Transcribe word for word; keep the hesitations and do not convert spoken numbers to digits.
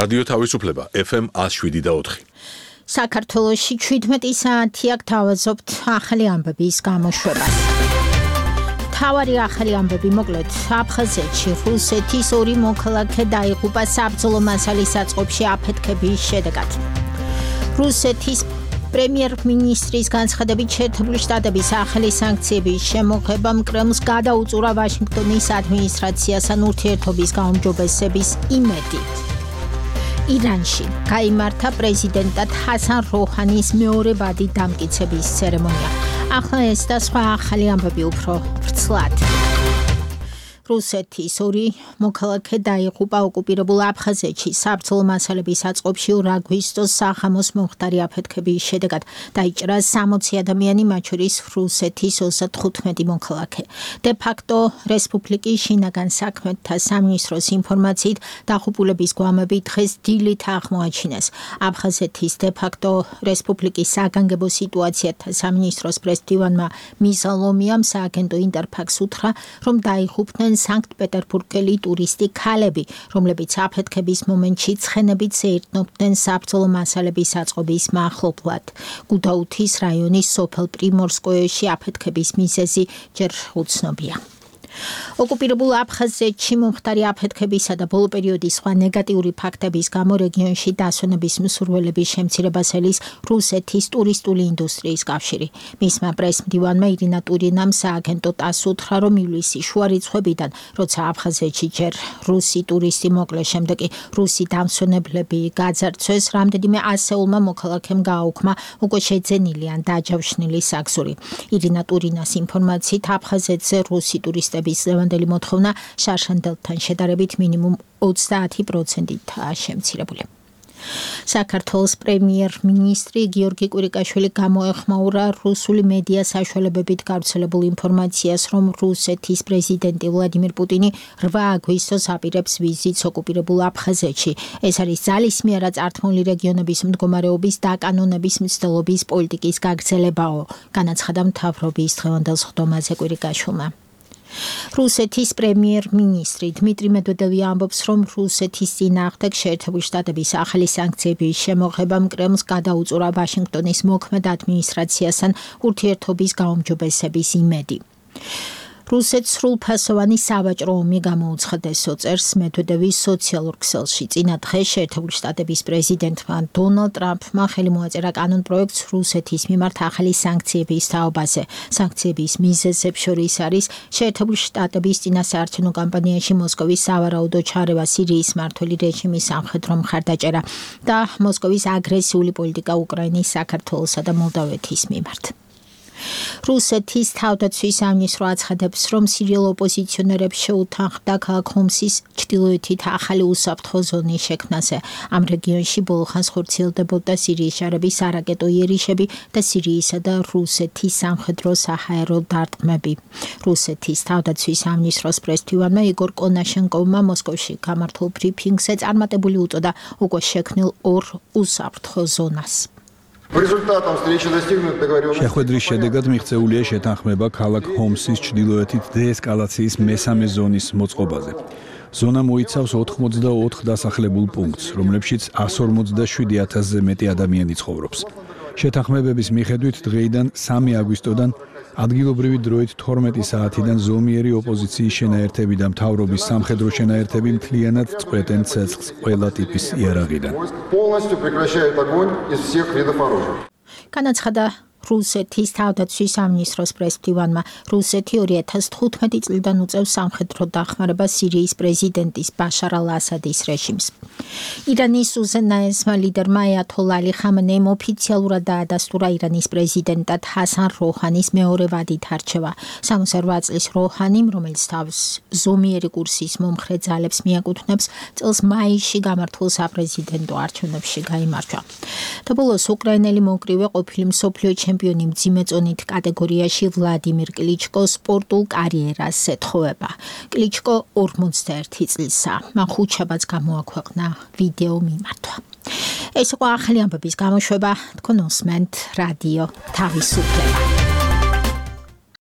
რადიო თავისუფლება ეფ ემ one oh seven და four. საქართველოში ჩვიდმეტი საათი აქ თავაზობთ ახალი ამბების გამოშვებას. თავარი ახალი ამბები მოკლედ აფხაზეთში რუსეთის ორი მოქალაქე დაიღუპა საბრძოლო მასალის საწყობში აფეთქების შედეგად. რუსეთის პრემიერ-მინისტრის განცხადებით შეერთებული შტატების ახალი სანქციების შემოღებამ კრემლს გადაუწურა ვაშინგტონის ადმინისტრაციასთან ურთიერთობის გაუმჯობესების იმედი. ირანში გაიმართა პრეზიდენტად ჰასან როჰანის მეორე ვადი დამტკიცების ცერემონია. ახლა ეს და სხვა ახალი ამბები უფრო ვრცლად. რუსეთის ორი მოქალაქე დაიღუპა ოკუპირებულ აფხაზეთში საბრძოლო მასალების საწყობში ორ აგვისტოს საღამოს მომხდარი აფეთქების შედეგად დაიჭრა სამოცი ადამიანი, მათ შორის რუსეთის ოცდათხუთმეტი მოქალაქე. დე ფაქტო რესპუბლიკის შინაგან საქმეთა სამინისტროს ინფორმაციით დაღუპულების გვამები დღეს დილით აღმოაჩინეს. აფხაზეთის დე ფაქტო რესპუბლიკის საგანგებო სიტუაციათა სამინისტროს პრესდივანმა მისა ლომიამ სააგენტო ინტერფაქს უთხრა, რომ დაიღუპნენ სანქტ-პეტერბურგელი ტურისტი ქალები, რომლებიც აფეთქების მომენტში ცხენებით შეირთმობდნენ საბრძოლო მასალების საწყობის მახლობლად. გუდაუთის რაიონის სოფელ პრიმორსკოეში აფეთქების მიზეზი ჯერ უცნობია. ოკუპირებულ აფხაზეთში მომხდარი აფეთქებისა და ბოლო პერიოდის სხვა ნეგატიური ფაქტების გამო რეგიონში დასვენების მსურველების შემცირებას ელის რუსეთის ტურისტული ინდუსტრიის კავშირი. მისმა პრესმდივანმა ირინა ტურინამ სააგენტო ტასს უთხრა, რომ ივლისის შუა რიცხვებიდან, როცა აფხაზეთში ჯერ რუსი ტურისტი მოკლეს, შემდეგ კი რუსი დამსვენებლები გაძარცვეს, რამდენიმე ასეულმა მოქალაქემ გააუქმა უკვე შეძენილი ან დაჯავშნილი საგზური. ირინა ტურინას ინფორმაციით აფხაზეთზე რუსი ტურისტები ლევანდელი მოთხოვნა შარშანდელთან შედარებით მინიმუმ ოცდაათი პროცენტითაა შემცირებული. საქართველოს პრემიერ-მინისტრი გიორგი კვირიკაშვილი გამოეხმაურა რუსული მედია საშუალებებით გავრცელებულ ინფორმაციას, რომ რუსეთის პრეზიდენტი ვლადიმირ პუტინი რვა აგვისტოს აპირებს ვიზიტს ოკუპირებულ აფხაზეთში. ეს არის ძალისმიერ აწარმოებული რეგიონების მდგომარეობის დაკანონების მცდელობის პოლიტიკის გაგრძელებაო, განაცხადა მთავრობის დღევანდელ სხდომაზე კვირიკაშვილმა. რუსეთის პრემიერ-მინისტრი დმიტრი მედვედევი ამბობს, რომ რუსეთის წინააღმდეგ შეერთებული შტატების ახალი სანქციების შემოღებამ კრემლს გადაუწურა ვაშინგტონის მოქმედ ადმინისტრაციასთან ურთიერთობის გაუმჯობესების იმედი. რუსეთს სრულფასოვანი სავაჭრო ომი გამოუცხადეს, წერს მედვედევის სოციალურ ქსელში. წინა დღეს შეერთებული შტატების პრეზიდენტმა დონალდ ტრამპმა ხელი მოაწერა კანონპროექტს რუსეთის მიმართ ახალი სანქციების თაობაზე. სანქციების მიზეზებს შორის არის შეერთებული შტატების წინასაარჩევნო კამპანიაში მოსკოვის სავარაუდო ჩარევა, სირიის მმართველი რეჟიმის სამხედრო მხარდაჭერა და მოსკოვის აგრესიული პოლიტიკა უკრაინის, საქართველოსა და მოლდავეთის მიმართ. რუსეთის თავდაცვის სამინისტრო აცხადებს, რომ სირიელ ოპოზიციონერებს შეუთანხმდა ქალაქ ჰომსის ჩრდილოეთით ახალი უსაფრთხო ზონის შექმნაზე. ამ რეგიონში ბოლო ხანს ხორციელდებოდა სირიის ჯარების არაკეტო იერიშები და სირიისა და რუსეთის სამხედრო საჰაერო დარტყმები. რუსეთის თავდაცვის სამინისტროს პრესდივანმა იგორ კონაშენკოვმა მოსკოვში გამართულ ბრიფინგზე წარმატებული უწოდა უკვე შექმნილ ორ უსაფრთხო ზონას. შეხვედრის შედეგად მიღწეულია შეთანხმება ქალაქ ჰომსის ჩრდილოეთით დეესკალაციის მესამე ზონის მოწყობაზე. ზონა მოიცავს ოთხმოცდაოთხ დასახლებულ პუნქტს, რომლებშიც εκατს ორმოცდაშვიდი ათასზე მეტი ადამიანი ცხოვრობს. შეთანხმებების მიხედვით დღეიდან სამი აგვისტოდან ადგილობრივი დროით თორმეტი საათიდან ზომიერი ოპოზიციის შენაერთები და მთავრობის სამხედრო შენაერთები მთლიანად წყვეტენ ცეცხლს ყველა ტიპის იარაღიდან. განაცხადა რუსეთის თავდაცვის სამინისტროს პრესდივანმა. რუსეთი ორი ათას თხუთმეტი წლიდან უწევს სამხედრო დახმარებას სირიის პრეზიდენტის ბაშარ ალ-ასადის რეჟიმს. ირანის უზენაესმა ლიდერმა აიათოლა ალი ხამენეიმ ოფიციალურად დაადასტურა ირანის პრეზიდენტად ჰასან როჰანის მეორე ვადით არჩევა. სამოცდაორ წლის როჰანიმ, რომელიც თავს ზომიერი კურსის მომხრე ძალებს მიაკუთვნებს, წელს მაისში გამართულ საპრეზიდენტო არჩევნებში გაიმარჯვა. და ბოლოს უკრაინელი მოკრივე ყოფილი მსოფლიო ჩემპიონი მძიმე წონით კატეგორიაში ვლადიმირ კლიჩკო სპორტულ კარიერას ეთხოვება. კლიჩკო ორმოცდაერთი წლისაა. მან ხუთშაბათს გამოაქვეყნა ვიდეო მიმართვა. ეს იყო ახალი ამბების გამოშვება. თქვენ უსმენთ რადიო თავისუფლება.